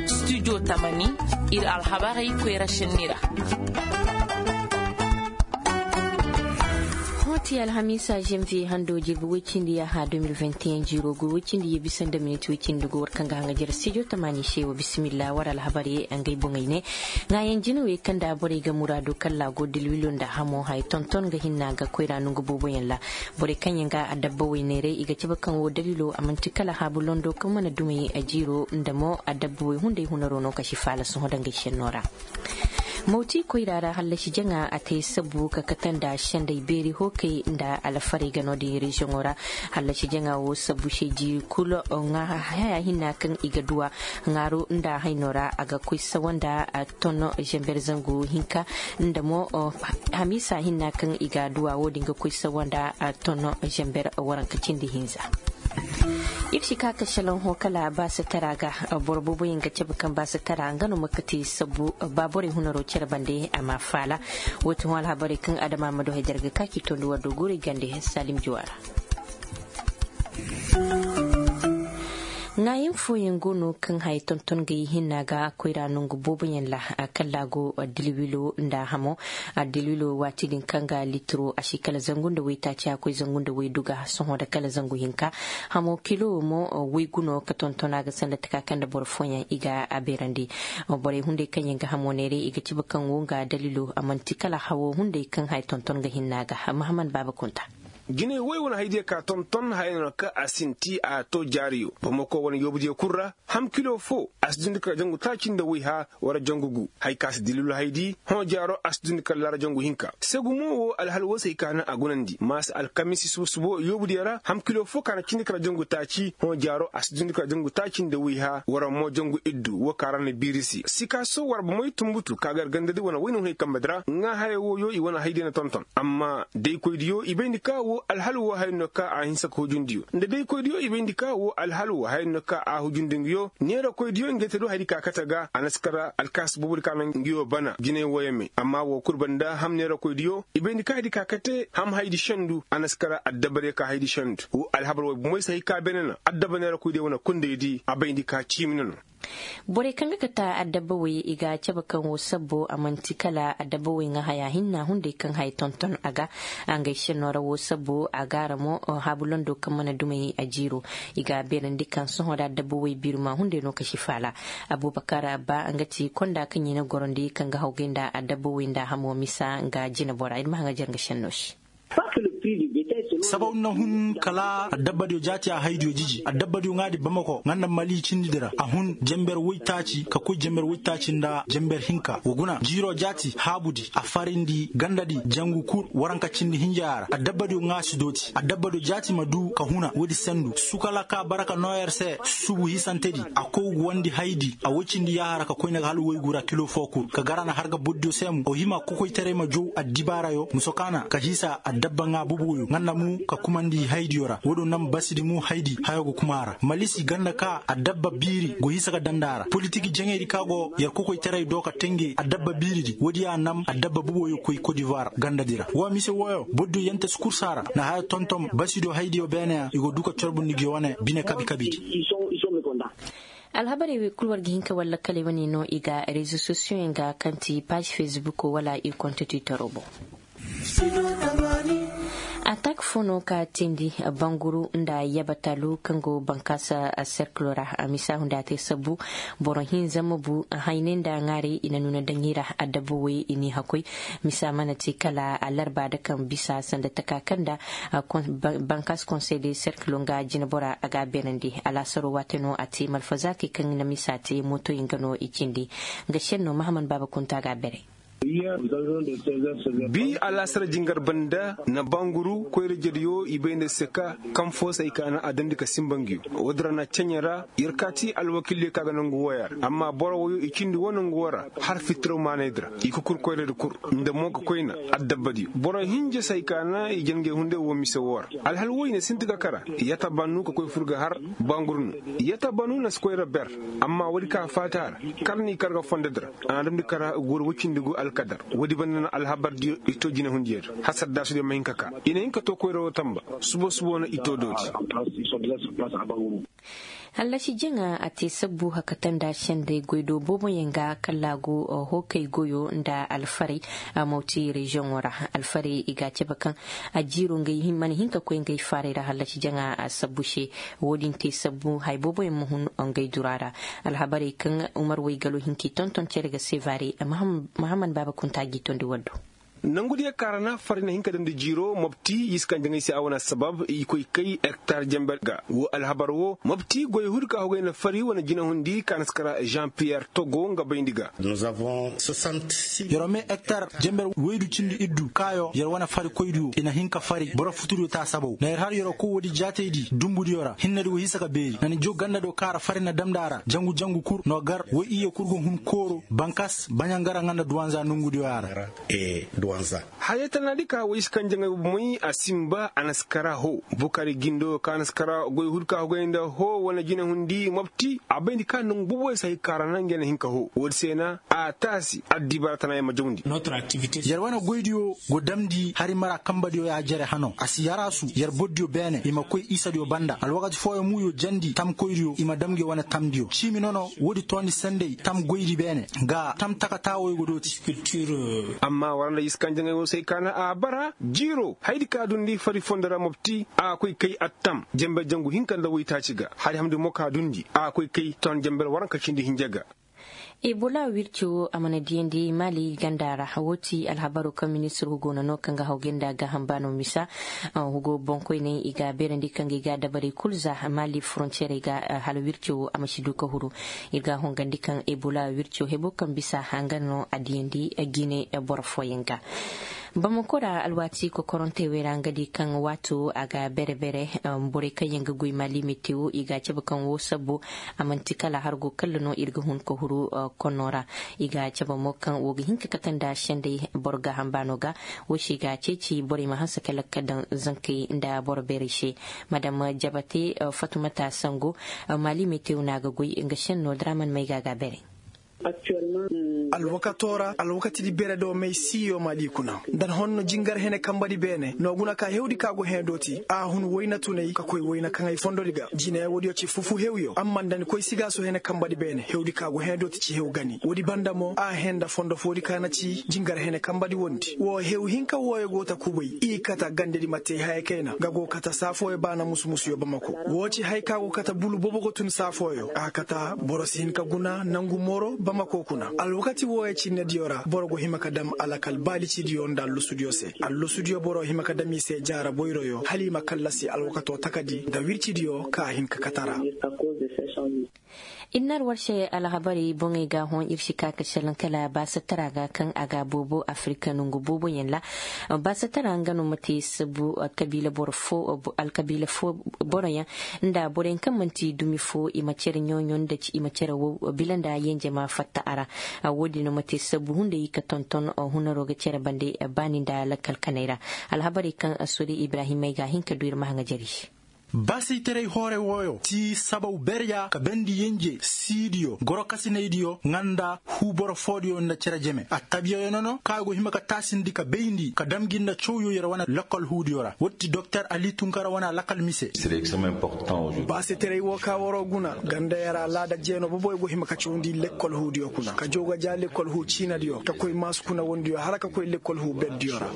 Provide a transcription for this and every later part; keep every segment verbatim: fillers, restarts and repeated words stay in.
Studio tamani, ir alhabarey koyra senni ra. Hõ ti alhamiisa janviye hando jirbi woy cindi yaaha deux mille vingt et un jiiro go woy cindi ye bisa nda minit woy cindi go war kaŋ ga haŋa jere studio tamani se wo bisimilla war alhabarey ngey boŋey ne. Ŋaayaŋ jinawey kaŋ nda borey ga muraadu kalla go dilwilo nda hamo hay tonton ga hinna ga koyra nongu booboyaŋ ra. Borey kaŋ yaŋ ga adabba wey neeray i ga cabe kaŋ wo daliilo a man'ti kala haabu londo kaŋ mana dumey jiiro nda mo adabba wey hunday hunaro no ka si faala sohõ dangey senno ra. Mawti koyra ra hallasi jaŋa a te sabbu ka kate nda senday beeri hookey nda alfarey ga no-din reziyoŋo ra. Hallasi jaŋa wo sabbu se jiiri kulu haya hinna kaŋ i ga duwa ŋaaru nda hayno ra a ga koy sawa nda tonno zember zangu hinka nda mo hamiisa hinna kaŋ i ga duwa wo-din ga koy sawa nda tonno zember waranka cindi hinza. Ir si ka ka selaŋ ho kala baasatara ga. Boro booboyaŋ ga cabe kaŋ baasatara nga no ma kati sabbu ba borey hunaro cere bande a ma faala. Wo ti hõ alhabarey kaŋ adama ma du hay darga ka k'i tondi war do guurey gande salim juwa ra. Ŋaayaŋ fooyaŋ go no kaŋ haya tonton ga i hinna ga koyra nongu booboyaŋ ra. Kalla go dilwilo nda hamo. Dilwilo waati din kaŋ ga litiro a si kala zangu nda waytaaci a koy zangu nda wayduga sohõ nda kala zangu hinka. Hamo kilo mo waygu no ka tonton a ga sanda taka kaŋ nda boro fooyaŋ i ga a beerandi. Borey hunday kaŋ yaŋ ga hamo neeray i ga cabe kaŋ wo nga dalilo a man'ti kala hawo hunday kaŋ haya tonton ga hinna ga. Mahaman baaba kunta. Jinay woy wane haydiyo ka tonton haya no ka a sinti a to jaariyo bamako wane yoobudiyo kul ra. Ham kilo fo a si dundi kala jangu taaci nda woyha wala jangu gu. Hay ka si dilulu haydi hõ jaaro a si dundi kala laara jangu hinka. Segu mo wo alhal wo se ay ka na a gunandi maasa alkamisi subo-subo yoobudiyo ra ham kilo fo ka na cindi kala jangu taaci hõ jaaro a si dundi kala jangu taaci nda woyha wala mo jangu iddu wo ka ra na biiri se sikaso wala bomey tumbutu ka gar gandadi wane wayna hunay kambedi ra ŋaa haya wooyo i wane haydiyo na tonton. Amma daykoydiyo i bayndi ka wo alhal wo haya no ka a hinsa ka hujundiyo nda daykoydiyo i bayndi ka wo alhal wo haya no ka a hujundi nguyo neerakoydiyo ngey te du haydi ka kate ga a na si kara alkaasi boobodi ka naŋ nguyo bana jinay wooyo me amma wo kul banda ham neerakoydiyo i bayndi ka haydi ka kate ham haydi sendu a na si kara addabadiyo ka haydi sendu. Wo alhabar wooyo bomey se hay ka beene na addaba neerakoydiyo wane kundaydi a bayndi ka ciimi na no. Borey kaŋ ga kate addabba wey i ga cabe kaŋ wo sabbo a man'ti kala addabba wey ŋaa haya hinna hunday kaŋ haya tonton a ga. Ngey senno ra wo sabbo a gaara mo haabu londo kaŋ mana dumey a jiiro. I ga a beerandi kaŋ sohõ nda addabba wey biiruma hunday no ka si faala. Abubakar abba nga ti konda kaŋ i na gorandi kaŋ ga hawgay nda addabba wey nda hamo misa nga jinabora ir ma haŋa jar nga senno se. Sabaw na hun kala addabbadiyo jaati a haydiyo jiji addabbadiyo ŋaadi bamako ŋanda mali cindidi ra a hun jember woytaaci ka koy jember woytaaci nda jember hinka wa guna jiiro jaati haabudi a farindi gandadi jangu kul waranka cindi hinjaya ra addabbadiyo ŋaasi dooti addabbadiyo jaati ma du ka huna woodi sendu sukala ka baraka nooyer se subu hisantedi a koy wandi haydi a woy cindi yaaha ra ka koy na ga hala woygu ra kilo fo kul ka gar a na har ga bordiyo se mo o hima kokoytaray ma jow addibaarayo muso kaana ka hiisa addabba ŋaa boboyo ŋanda mu ka kumandi haydiyo ra woodiyo nam basidi mu haydi hayo ga kuma a ra malisi ganda ka addabba biiri go hiisa ga danda a ra politik jaŋaydi ka go yer kokoytaray do ka tenge addabba biiridi woodiyo a nam addabba boboyo koy kodivuwar gandadi ra wo mise wooyo bordiyo yante si kursa ra na haya tonton basidiyo haydiyo beeneya i go du ka corbundi gi wane bine kabi kabidi. Alhabarey wey kul war ga hin ka war lakkaley wane no i ga rezo sosiyoyaŋ ga kaŋ ti paazi fesbuko wala ir konte twittero boŋ. Atak fo no ka tindi banguru nda yabatalu kaŋ go bankaasa serkilo ra a misa hunda te sabbu boro hinza ma bu haynay nda ŋaarey i na nuna daŋ i ra adabba wey i n'i hakoy. Misa mana te kala alarba da kaŋ bisa sanda taka kaŋ nda bankaasa konsey de serkilo nga jinabora a ga a beerandi alaasaro waate no a te malfazakey kaŋ na misa te mootoyaŋ ga no i cindi. Nga senno mahaman baaba kunta ga a beeray. Bi alaasara jingar banda na banguru koyra jediyo i bay nda se ka kaŋ fo se ay ka na a dandi ka simba ngiyo. Woodin ra na ceɲe ra yer kaati alwakildiyo ka ga nangu wooya ra amma boro wooyo i cindi woo nangu woo ra har fitiraw maanaydi ra i kukur koyradi kul nda mo ka koyna. Addabbadiyo boro hinja se ay ka na i jangey hunday woo mise woo ra. Alhal woo i na sinti ka kara yata bannu ka koy fur ga har banguru no. Yata bannu na si koyra ber amma woodi ka faati a ra kar n'i kar ga fondodi ra. A na damndi kara guuru woy cindi go alka. Woodi banda no alhabar diyo i to jinahundiyo da hasar daasudiyo ma hin ka ka i na hin ka to koyra woo tanba. Subo subo no i to dooti. Hallasi jaŋa a te sabbu hakata nda senday goydoo booboyaŋ ga kallaagu hookay goyoo nda alfarey. Mawti reziyoŋo ra alfarey i ga a cabe kaŋ a jiiroo ngey mana hin ka koy ngey faaray ra hallasi jaŋa sabbu se. Woodin te sabbu haya booboyaŋ ma hun ngey duraa ra. Alhabarey kaŋ umar waygalo hin k'i tonton cere ga sevare. Mahaman baaba kunta g'i tondi waddo. Nangudiyo kaŋ ra na fari na hin ka damndi jiiroo mopti i si kaŋ jaŋay se a wane assabab i koy kay hektar jenber ga woo alhabar woo mopti goy huudi ka hogay na fari wane jinahundi ka na si kara jean piyer togo nga bayndi ga. Yer wo me hektar jenber woydu cindi iddu kaayo yer wane farikoydiyo i na hin ka fari boro futudiyo taasabow na yer har yer wo koy woodi jaataydi dumbudiyo ra hinnedi wo hinsa ka beeri na ni jow gandadiyo kaŋ a ra fari na damndi a ra jangu jangu kul no gar woy iyye kul ga hun kooro bankas baɲangara nga nda duwanza nongudiyo ya ra. Hayey tanaadi ka woy si kaŋ jaŋay bomoy a sinba a na si kara hoo bukari gindo ka na si kara goy hul ka hogay nda hoo wane jinahundi mopti a bayndi ka nongu boboyaŋ si hay ka ra na ngey na hin ka hoo woodi se na a taasi addibaara tana yer ma jawndi. Yer wane goydiyo go damndi hari mara kanbadiyo ya jere hano a si yaraasu yer bordiyo beene i ma koy isadiyo banda alwakati fooyaŋ muuyo jandi tamkoydiyo i ma dam ngey wane tamdiyo ciimi nono woodi toondi sanday tam goydi beene ga tam takataawoyo go dooti. Amma war nda i si kaŋ jaŋay woo se ay kaana a bara jiiroo hayadi ka dundi fari fondo ra mopti a koy kay attam jenbe jangu hinka nda woytaaci ga hari hamndi mo ka dundi a koy kay ton jenbe ra waranka cindi hinja ga. Ebola wirci woo a mana diyandi maali ganda ra woo ti alhabaroo kaŋ ministir hugo na noo kaŋ ga hawgay nda gaaham baanoo misa. Hugo boŋkoyney i ga a beerandi kaŋ ga i ga a dabarey kul za maali forontiyeerey ga hala wirci woo a ma si du ka huru. Ir ga a hongandi kaŋ ebola wirco hebo kaŋ bisa hanga no a diyandi gine boro fooyaŋ ga. Bamako ra alwaati kokorantey wey ra nga di kaŋ waato a ga bere bere borey kaŋ yaŋ ga goy maali metewo i ga a cabe kaŋ woo sabbo a man'ti kala hargo kalla no ir ga hun ka huru. Konno ra i ga a cabe mo kaŋ woo ga hin ka kate nda sendey boro gaaham baano ga. Woo se i ga a ceeci borey ma hanse kala ka daŋ zankey nda boro beerey se. Madam jabate fatumata sango maali metewo no a ga goy nga senno draman mayga ga a beerey. Alwakatoo ra alwakatidi bere do may siiyo maali kuna nda ni honno jingar hene kambadi beene no guna ka hewdi ka go hẽe dooti a hun wayna tunay ka koy wayna kaŋay fondodi ga jine woodiyo ci fufu hewyo amma nda ni koy sigaaso hene kambadi beene hewdi ka go hẽe dooti ci hew gani woodi banda mo a hẽe nda fondo foodi ka na ci jingar hene kambadi wondi woo hew hinka wooyo go ta kubay i kata gandedi ma te haya kayna nga go kata saa fooyo baana musu musuyo bamako woo ci haya ka go kata bulu boobo go tun saa fooyo a kata boro si hin ka guna nangu moro bamako kuna alwakati wooyo cinnediyo ra boro go hima ka dam alakal baalicidiyo nda allusudiyo se allusudiyo boro hima ka dam i se jaara boyroyo hala i ma kallasi alwakatoo takadi nda wircidiyo ka hin ka kate a ra. Ir na ar war se alhabarey boŋey ga a hõ ir si ka ka salaŋ kala baasatara ga kaŋ a ga a boobo afirika nongu booboyaŋ ra. Baasatara nga no ma te sabu alkabiila boro fo alkabiila fo boroyaŋ nda boroyaŋ kaŋ man'ti dumi fo i ma cere ɲooɲo nda i ma cere wow bila nda yenje ma fatta a ra. Woodin no ma te sabu hunday ka tonton hunaroo ga cere bande baani nda lakkal kanay ra. Alhabarey kaŋ sori ibrahimey ga a hin ka du ir ma haŋa jari. Baasaytaray hoore wooyo ti sabaw berya ka bendi yenje siidiyo gorokasinaydiyo nga nda huu boro foodiyo nda cere jeme attabiyayo nono kaŋ a go hima ka taasindi ka bayndi ka dam gi nda cawyo yer wane lekkol huudiyo ra woodi ti doktor ali tunkara wane a lakkal mise. Baasaytaray woo ka waroo guna ganda yer alaada jeeno boboyo go hima ka cawndi lekkol huudiyo kuna ka jaw ga ja lekkol huu ciinadiyo ka koy maasu kuna wondiyo hala ka koy lekkol huu berdiyo ra.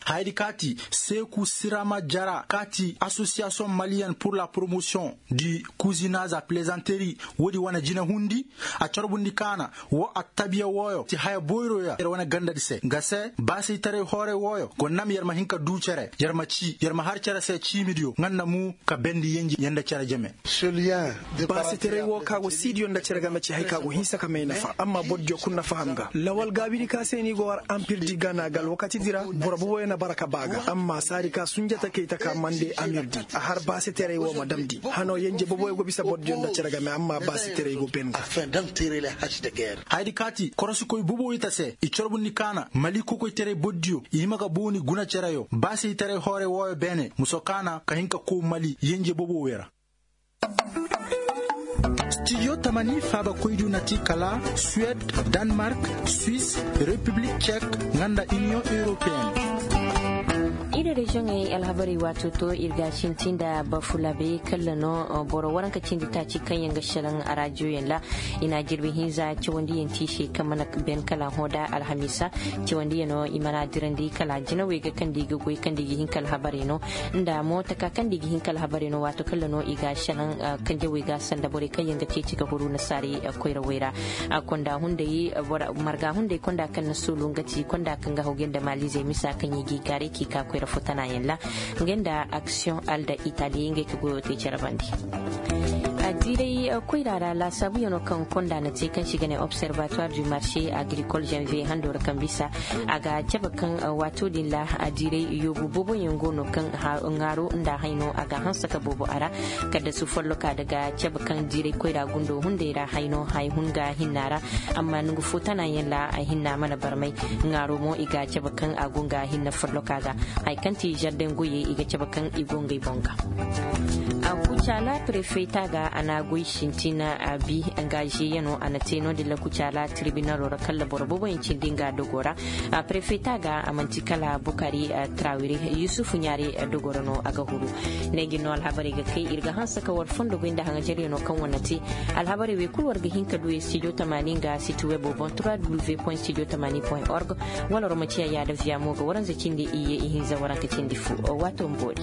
Hayadi kaati seeku sirama jara kaati asosiyasiyoŋ maliyen pur la poromosiyoŋ di kuzinaz a pilezanteri woodi wane jinahundi a corbundi kaana woo attabiya wooyo ti haya boyroyo yer wane gandadi se nga se baasaytaray hoore wooyo go nam yer ma hin ka duu cere yer ma cii yer ma har cere se ciimidiyo nga nda mu ka bendi yenji yer nda cere jeme. Baasitaray woo ka go siidiyo nda cere game ci hay ka go hinsa ka may nafa amma bordiyo kul na faham ga lawal gaabidi ka se ni go war ampirdi gana ga alwakatidi ra boro boboyo na bara ka ba ga amma saadi ka sunjata kay taka mande amirdi a har baasitaray woo ma damndi hano yenje boboyo go bisa bordiyo nda cere game amma baasitaray go ben ga. Hayadi kaati korosikoy boboyo ta se i corbundi kaana mali kokoytaray bordiyo i hima ga booni guna cereyo baasitaray hoore wooyo beene muso kaana ka hin ka kow mali yenje boboyo ra. Studio tamani faaba koydu na ti kala suwed, danmark, swis, repiblik cek, nga nda iniyoŋ europeen. Ir reziyoŋey alhabarey waato to ir ga sinti nda bafulabe kalla no. Boro waranka cindi taaci kaŋ yaŋ ga selaŋ a rajiyoyaŋ ra. I na jirbi hinza cawandiyaŋ ti i se kaŋ mana ben kala hõ da alhamiisa. Cawandiyano i mana dirandi kala jinawey ga kaŋ da i ga goy kaŋ da i ga hin ka alhabarey no. Nda mo taka kaŋ da i ga hin ka alhabarey no waato kalla no i ga selaŋ kanjawey ga sanda borey kaŋ yaŋ ga ceeci ga huru nasaarey koyrawey ra. Konda hunday marga hunday konda kaŋ na suulu nga ti konda kaŋ ga hawgay nda maalizey misa kaŋ i g'i gaaray k'i ka koyra fo tanayaŋ ra. Ngey nda aksiyoŋ alda itali ngey ka goyo te care bande. A diiray koyra ra laasaabuyaŋo kaŋ konda na te kaŋ se i ga ne observatoire du marché agricole janvier hando ra kaŋ bisa a ga cabe kaŋ waato din ra a diiray yoobu booboyaŋ go no kaŋ ŋaaro nda hayno a ga hanse ka boobo a ra. Kaddasu folloka daga cabe kaŋ diiray koyra gundo hunday ra hayno hay hun ga hinna ra. Amma nongu fo tanayaŋ ra a hinna mana barmay. Ŋaaro mo i ga cabe kaŋ a go nga hinna folloka ga. Hay kaŋ ti zarden goyey i ga cabe kaŋ i go ngey boŋ ga. Kucaala prefeta ga a na goy sintina a bi. Nga zeeyano a na te no- din ra kucaala tirbinalo ra kalla boro booboyaŋ cindi nga dogo ra. Prefeta ga a man'ti kala bukari trawire yusufu ɲaare dogo ra no a ga huru. Ne ngi no alhabarey ga kay ir ga hanse ka war fondo goy nda haŋajaryano kaŋ wane te. Alhabarey wey kulu war ga hin ka du studio tamaani nga siti webo boŋ trois w point studio tamaani point org. Wala war ma ciya yaada viya mo ga waranza cindi iyye ihinza waranka cindi fu. Waato ma boori.